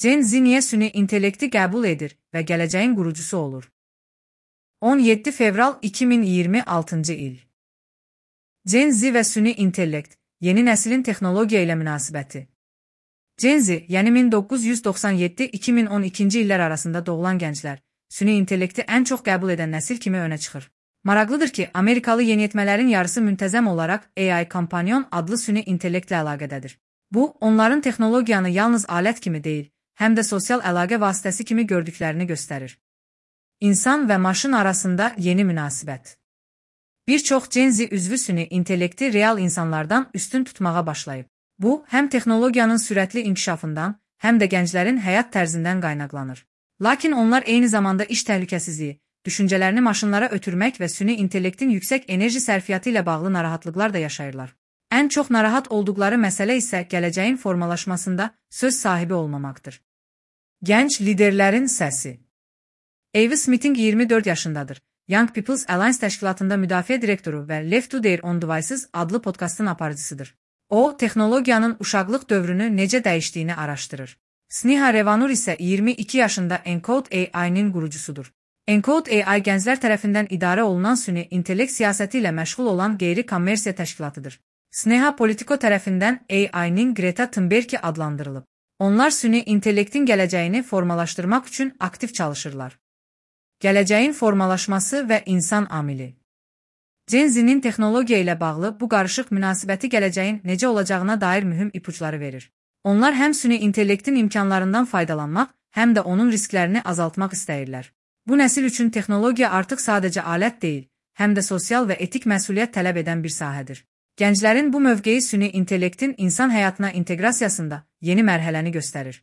Gen Z niyə süni intellekti qəbul edir və gələcəyin qurucusu olur? 17 fevral 2026 il. Gen Z və süni intellekt, yeni nəslin texnologiya ilə münasibəti. Gen Z, yəni 1997-2012 illər arasında doğulan gənclər, süni intellekti ən çox qəbul edən nəsil kimi önə çıxır. Maraqlıdır ki, Amerikalı yeniyetmələrin yarısı müntəzəm olaraq AI Companion adlı süni intellektlə əlaqədədir. Bu, onların texnologiyanı yalnız alət kimi deyil, həm də sosial əlaqə vasitəsi kimi gördüklərini göstərir. İnsan və maşın arasında yeni münasibət. Bir çox Gen Z üzvü süni intellekti real insanlardan üstün tutmağa başlayıb. Bu, həm texnologiyanın sürətli inkişafından, həm də gənclərin həyat tərzindən qaynaqlanır. Lakin onlar eyni zamanda iş təhlükəsizliyi, düşüncələrini maşınlara ötürmək və süni intellektin yüksək enerji sərfiyyatı ilə bağlı narahatlıqlar da yaşayırlar. Ən çox narahat olduqları məsələ isə gələcəyin formalaşmasında söz sahibi olmamaqdır. Gənc liderlərin səsi. Avis Smithing 24 yaşındadır. Young People's Alliance təşkilatında müdafiə direktoru və Left to Their Own Devices adlı podkastın aparıcısıdır. O, texnologiyanın uşaqlıq dövrünü necə dəyişdiyini araşdırır. Sneha Revanur isə 22 yaşında Encode AI-nin qurucusudur. Encode AI gənclər tərəfindən idarə olunan süni intellekt siyasəti ilə məşğul olan qeyri-kommersiya təşkilatıdır. Sneha Politico tərəfindən AI-nin Greta Thunberg adlandırılıb. Onlar süni intellektin gələcəyini formalaşdırmaq üçün aktiv çalışırlar. Gələcəyin formalaşması və insan amili. Gen Z-nin texnologiya ilə bağlı bu qarışıq münasibəti gələcəyin necə olacağına dair mühüm ipuçları verir. Onlar həm süni intellektin imkanlarından faydalanmaq, həm də onun risklərini azaltmaq istəyirlər. Bu nəsil üçün texnologiya artıq sadəcə alət deyil, həm də sosial və etik məsuliyyət tələb edən bir sahədir. Gənclərin bu mövqeyi süni intellektin insan həyatına inteqrasiyasında yeni mərhələni göstərir.